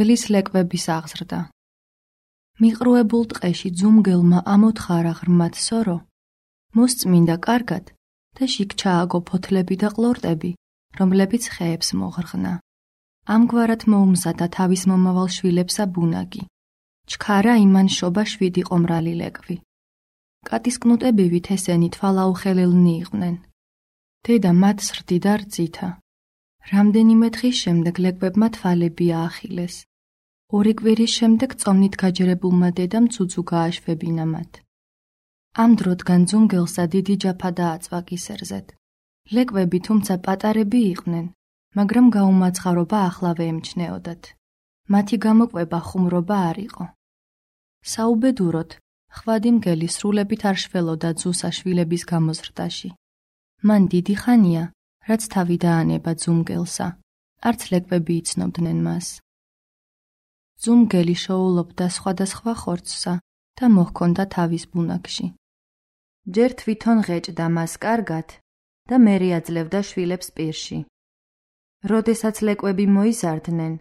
მგლის ლეკვების აღზრდა. მიყრუებულ ტყეში ძუმგელმა ამოთხარა ღრმად სორო, მოსწმინდა კარგად და შიგ ჩააგო ფოთლები და ყლორტები, რომლებიც ხეებს მოღრღნა. ამგვარად მოუმზადა თავის მომავალ შვილებსა ბუნაგი. ჩქარა იმან შობა 7 ყომრალი ლეკვი. კატის კნუტებივით ესენი თვალაუხელელნი იყვნენ. დედა მათ სრდიდა რძითა. რამდენიმე დღის შემდეგ ლეკვებმა თვალები აახილეს. 2 კვირის შემდეგ წონით გაჯერებულმა დედამ ცუცუ გააშვებინა მათ. ამ დროდგან ძუმგელსა დიდი ჯაფა დააწვა კისერზედ. ლეკვები თუმცა პატარები იყვნენ, მაგრამ გაუმაცხარობა ახლავე ემჩნეოდათ. მათი გამოკვება ხუმრობა არ იყო. საუბედუროდ, ხვადი მგელი სრულებით არ შველოდა ძუსა შვილების გამოზრდაში. მან დიდი ხანია, რაც თავი დაანება ძუმგელსა, არც ლეკვები იცნობდნენ მას. ძუმგელი შოულობდა სხვადასხვა ხორცსა და მოჰქონდა თავის ბუნაგში. ჯერ თვითონ ღეჭდა მას კარგად და მერე აძლევდა შვილებს პირში. როდესაც ლეკვები მოიზარდნენ,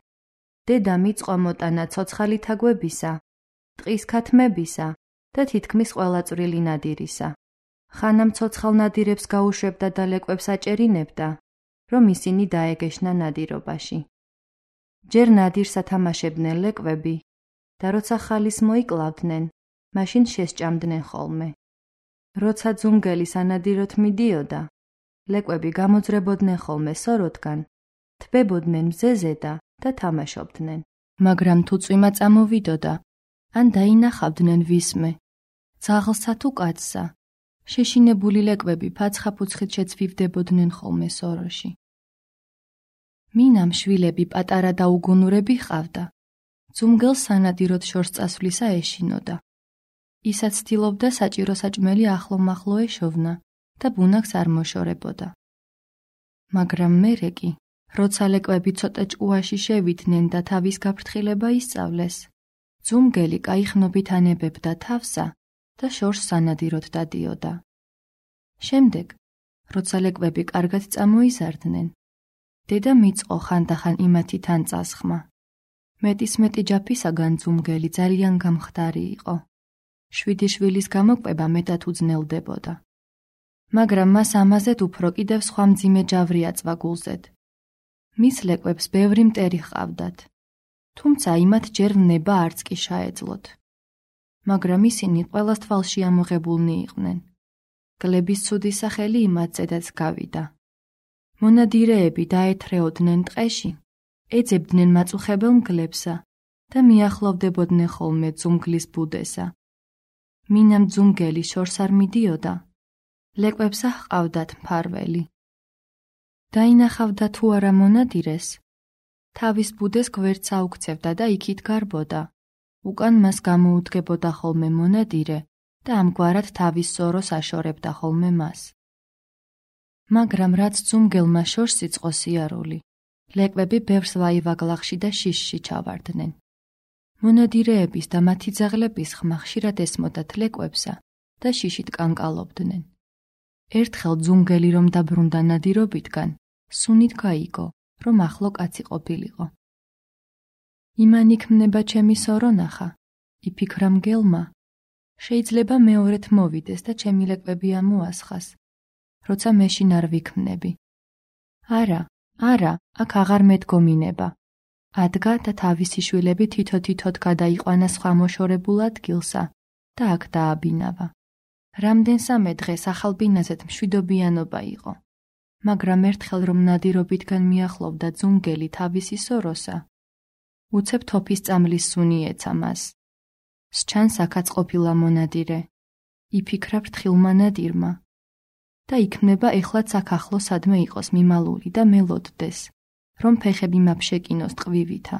დედა მიწყვა მოტანა ცოცხალი თაგვებისა, ტყის ქათმებისა და თითქმის ყველა წვრილი ნადირისა. ხანამ ცოცხალ ნადირებს გაუშვებდა და ლეკვებს აჭერინებდა, რომ ისინი დაეგეშნა ნადირობაში. ჯერ ნადირს ათამაშებდნენ ლეკვები და როცა ხალის მოიკლავდნენ, მაშინ შესჭამდნენ ხოლმე. როცა ძუმგელი სანადიროთ მიდიოდა, ლეკვები გამოძრებოდნენ ხოლმე სოროდგან, თბებოდნენ მზეზედა და თამაშობდნენ. მაგრამ თუ წვიმა წამოვიდოდა, ან დაინახავდნენ ვისმე, ძაღლსა თუ კაცსა, შეშინებული ლეკვები ფაცხა-ფუცხით შეცვივდებოდნენ ხოლმე სოროში. მინამ შვილები პატარა და უგუნურები ჰყავდა. ძუმგელს სანადიროდ შორს წასვლისა ეშინოდა. ისაც ცდილობდა საჭირო საჭმელი ახლო-მახლო ეშოვნა და ბუნაგს არ მოშორებოდა. მაგრამ მერე კი, როცა ლეკვები ცოტა ჭკუაში შევიდნენ და თავის გაფრთხილება ისწავლეს, ძუმგელი კაიხნობით ანებებდა თავსა და შორს სანადიროდ დადიოდა. შემდეგ, როცა ლეკვები კარგად წამოიზარდნენ, დედა მიწყო ხანდახან იმათი თან წასხმა. მეტისმეტი ჯაფისაგან ძუმგელი ძალიან გამხდარი იყო. 7 შვილის გამოკვება მეტად უძნელდებოდა. მაგრამ მას ამაზედ უფრო კიდევ სხვა მძიმე ჯავრი აწვა გულზედ. მის ლეკვებს ბევრი მტერი ჰყავდათ, თუმცა იმათ ჯერ ვნება არც კი შეეძლოთ. მაგრამ ისინი ყველას თვალში ამოღებულნი იყვნენ. გლების ცუდი სახელი იმათზედაც გავიდა. მონადირეები დაეთრეოდნენ ტყეში, ეძებდნენ მაწუხებელ მგლებსა და მიახლოვდებოდნენ ხოლმე ძუმგლის ბუდესა. მინამ ძუმგელი შორს არ მიდიოდა, ლეკვებსა ჰყავდათ მფარველი. დაინახავდა თუ არა მონადირეს, თავის ბუდეს გვერდს აუქცევდა და იქით გარბოდა. უკან მას გამოუდგებოდა ხოლმე მონადირე და ამგვარად თავის სოროს აშორებდა ხოლმე მას. მაგრამ რაც ძუმგელმა შორს იწყო სიარული, ლეკვები ბევრს ვაივაგლახში და შიშში ჩავარდნენ. მონადირეების და მათი ძაღლების ხმა ხშირად ესმოდათ ლეკვებსა და შიშით კანკალობდნენ. ერთხელ ძუმგელი რომ დაბრუნდა ნადირობითგან, სუნით გაიგო, რომ ახლო კაცი ყოფილიყო. იმან იქმნება ჩემი სორო ნახა, იფიქრა მგელმა, შეიძლება მეორედ მოვიდეს და ჩემი ლეკვები ამოასხას, როცა მეშინ არ ვიქმნები. არა, აქ აღარ მედგომინება. ადგა და თავისი შვილები თითო-თითოდ გადაიყვანა სხვა მოშორებულ ადგილსა და აქ დააბინავა. რამდენსამე დღეს ახალ ბინაზეთ მშვიდობიანობა იყო, მაგრამ ერთხელ რომ ნადირობითგან მიახლოვდა ძუმგელი თავისი სოროსა, უცებ თოფის წამლის სუნი ეცა მას. სჩანს აქაც ყოფილა მონადირე, იფიქრა ფრთხილმა ნადირმა და იქმნება ეხლაც აქ ახლო სადმე იყოს მიმალული და მელოდდეს, რომ ფეხები მაფშეკინოს ტყივივითა.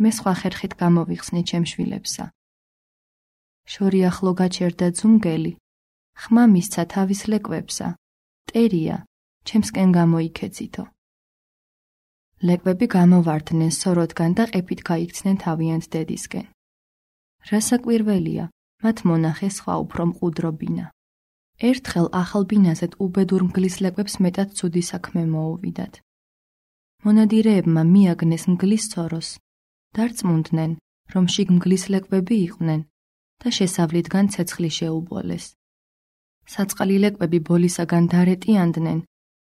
მე სხვა ხერხით გამოვიხსნე ჩემ შვილებსა. შორი ახლო გაჩერდა ძუმგელი, ხმა მისცა თავის ლეკვებსა, ტერია, ჩემსკენ გამოიქეცითო. ლეკვები გამოვარდნენ სოროდგან და ყეფით გაიქცნენ თავიანთ დედისკენ. რასაკვირველია, მათ მონახე სხვა უფრო მყუდრო ბინა. ერთხელ ახალ ბინაზეთ უბედურ მგლის ლეკვებს მეტად ცუდი საქმე მოუვიდათ. მონადირეებმა მიაგნეს მგლის სოროს დარწმუნდნენ, რომ შიგ მგლის ლეკვები იყვნენ და შესავლიდან ცეცხლი შეუბოლეს. საწყალი ლეკვები ბოლისაგან დარეტიანდნენ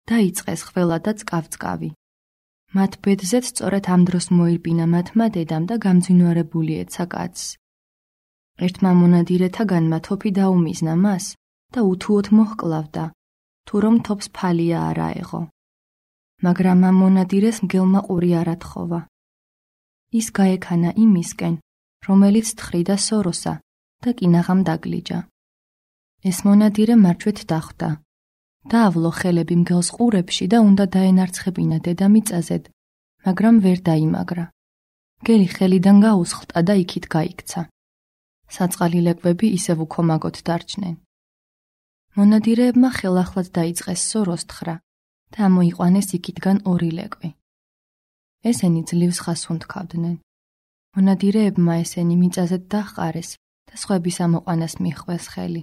და იწყეს ხველა და წყავ-წყავი. მათ ბედზეც სწორედ ამ დროს მოირბინა მათმა დედამ და გამძინვარებული ეცა კაცს. ერთმა მონადირეთაგანმა თოფი დაუმიზნა მას და უთუოდ მოჰკლავდა, თუ რომ თოფს ფალია არ აეღო. მაგრამ ამ მონადირეს მგელმა ყური არ ათხოვა. ის გაექანა იმისკენ, რომელიც თხრიდა სოროსა და კინაღამ დაგლიჯა. ეს მონადირე მარჩვეთ დახვდა. დაავლო ხელები მგელს ყურებში და უნდა დაენარცხებინა დედამიწაზედ, მაგრამ ვერ დაიმაგრა. მგელი ხელიდან გაუსხლტა და იქით გაიქცა. საწყალი ლეკვები ისევ უქომაგოდ დარჩნენ. მონადირეებმა ხელახლად დაიწყეს სოროს თხრა და ამოიყვანეს იქითგან 2 ლეკვი. ესენი ძლივს ხას უნთქავდნენ. მონადირეებმა ესენი მიწაზედ დაჰყარეს და სხვების ამოყვანას მიჰყვეს ხელი.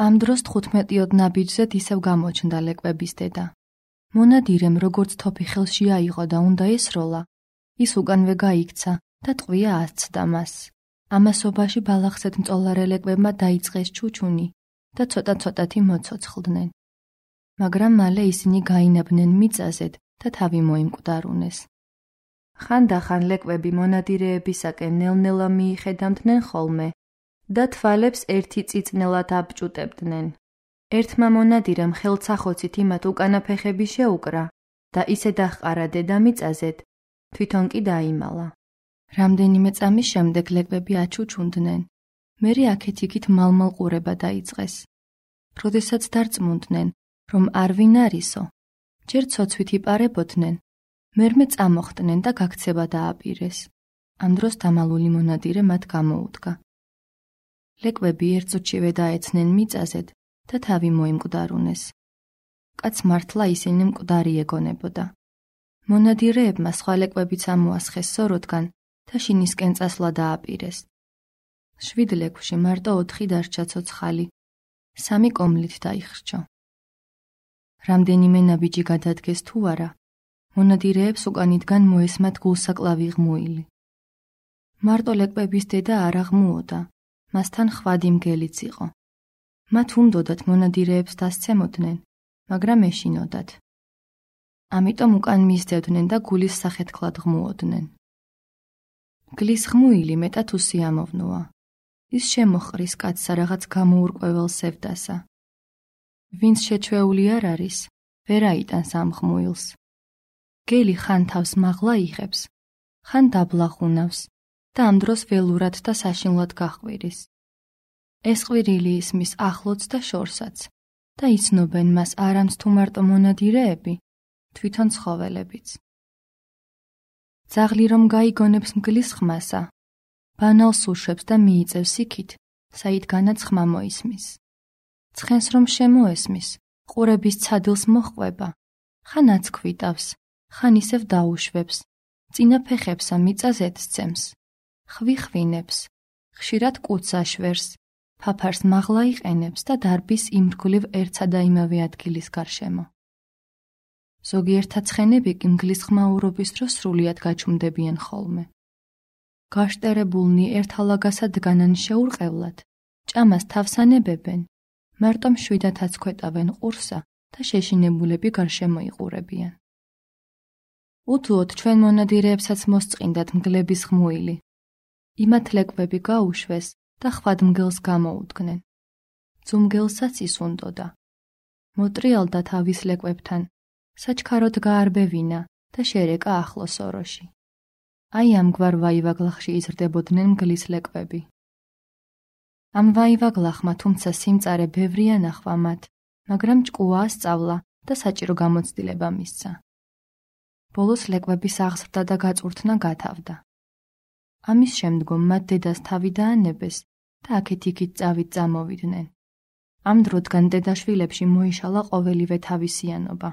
ამ დროს 15 ნაბიჯზედ ისევ გამოჩნდა ლეკვების დედა. მონადირემ როგორც თოფი ხელში აიღო და უნდა ესროლა, ის უკანვე გაიქცა და ტყვია ასცდა მას. ამასობაში ბალახსეთ მწოლარე ლეკვებმა დაიწყეს ჩუჩუნი და ცოტა-ცოტათი მოცოცხლდნენ. მაგრამ მალე ისინი გაინაბნენ მიწაზედ და თავი მოიმკვდარუნეს. ხანდახან ლეკვები მონადირეებისაკენ ნელ-ნელა მიიხედამდნენ ხოლმე და თვალებს ერთი წიწნელად აბჭუტებდნენ. ერთმა მონადირემ ხელცახოცით იმათ უკანა ფეხები შეუკრა და ისე დაჰყარა დედამიწაზედ, თვითონ კი დაიმალა. რამდენიმე წამის შემდეგ ლეკვები აჩუჩუნდნენ. მერე აქეთ-იქით მალ-მალ ყურება დაიწყეს. როდესაც დარწმუნდნენ, რომ არ ვინ არისო, ჯერ ცოცვით იპარებოდნენ, მერმე წამოხდნენ და გაქცევა დააპირეს. ამ დროს დამალული მონადირე მათ გამოუდგა. ლეკვები ერთწუთშივე დაეცნენ მიწაზედ და თავი მოიმკვდარუნეს. კაც მართლა ისინი მკვდარი ეგონებოდა. მონადირეებმა სხვა ლეკვებიც ამოასხეს სოროდგან და შინისკენ წასვლა დააპირეს. 7 ლეკვში მარტო 4 დარჩა ცოცხალი, 3 კომლით დაიხრჩო. რამდენიმე ნაბიჯი გადადგეს თუ არა, მონადირეებს უკანიდან მოესმათ გულსაკლავი ღმუილი. მარტო ლეკვების დედა არ აღმუოდა, მასთან ხვადი მგელიც იყო. მათ უნდოდათ მონადირეებს დასცემოდნენ, მაგრამ ეშინოდათ. ამიტომ უკან მისდევდნენ და გულის სახეთქლად ღმუოდნენ. მგლის ღმუილი მეტად უსიამოვნოა. ის შემოხრის კაცსა რაღაც გამოურკვევალ სევდასა. ვინც შეჩვეული არ არის, ვერ აიტანს ამ ღმუილს. მგელი ხან თავს მაღლა იღებს, ხან დაბლახუნავს და ამ დროს ველურად და საშინლად გაჰყვირის. ეს ყვირილი ისმის ახლოც და შორსაც და იცნობენ მას არამც თუ მარტო მონადირეები, თვითონ ცხოველებიც. ძაღლი რომ გაიგონებს მგლის ხმასა, ბანალს უშვებს და მიიწევს იქით, საიდგანაც ხმა მოისმის. ცხენს რომ შემოესმის, ყურების ცადილს მოჰყვება, ხან აცქვიტავს, ხან ისევ დაუშვებს, წინა ფეხებსა მიწაზედ სცემს, ხვიხვინებს, ხშირად კუც აშვერს, ფაფარს მაღლა იყენებს და დარბის იმრგვლივ ერთსა და იმავე ადგილის გარშემო. ზოგიერთთა ცხენები კი მგლის ხმაურობის დროს სრულიად გაჩუმდებიან ხოლმე. გაშტერებულნი ერთალაგასად დგანან შეურყევლად, ჭამას თავს ანებებენ, მარტო მშვიდად აცქვეტავენ ყურსა და შეშინებულები გარშემო იყურებიან. უთუოდ ჩვენ მონადირეებსაც მოსწყინდათ მგლების ღმუილი. იმათ ლეკვები გაუშვეს და ხვად მგელს გამოუდგნენ. ძუმგელსაც ის უნდოდა. მოტრიალდა თავის ლეკვებთან, საჩქაროდ გაარბევინა და შერეკა ახლო სოროში. აი ამგვარ ვაივაგლახში იზრდებოდნენ მგლის ლეკვები. ამ ვაივაგლახმა თუმცა სიმწარე ბევრი ანახვა მათ, მაგრამ ჭკუაა სწავლა და საჭირო გამოცდილება მისცა. ბოლოს ლეკვების აღზრდა და გაწურთნა გათავდა. ამის შემდგომ მათ დედას თავი დაანებეს და აქეთ-იქით წავით წამოვიდნენ. ამ დროდგან დედაშვილებში მოიშალა ყოველივე თავისიანობა.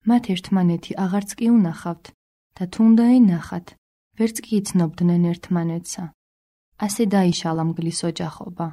მათ ერთმანეთი აღარც კი უნახავთ და თუ უნდა ენახათ, ვერც კი იცნობდნენ ერთმანეთსა. ასე დაიშალა მგლის ოჯახობა.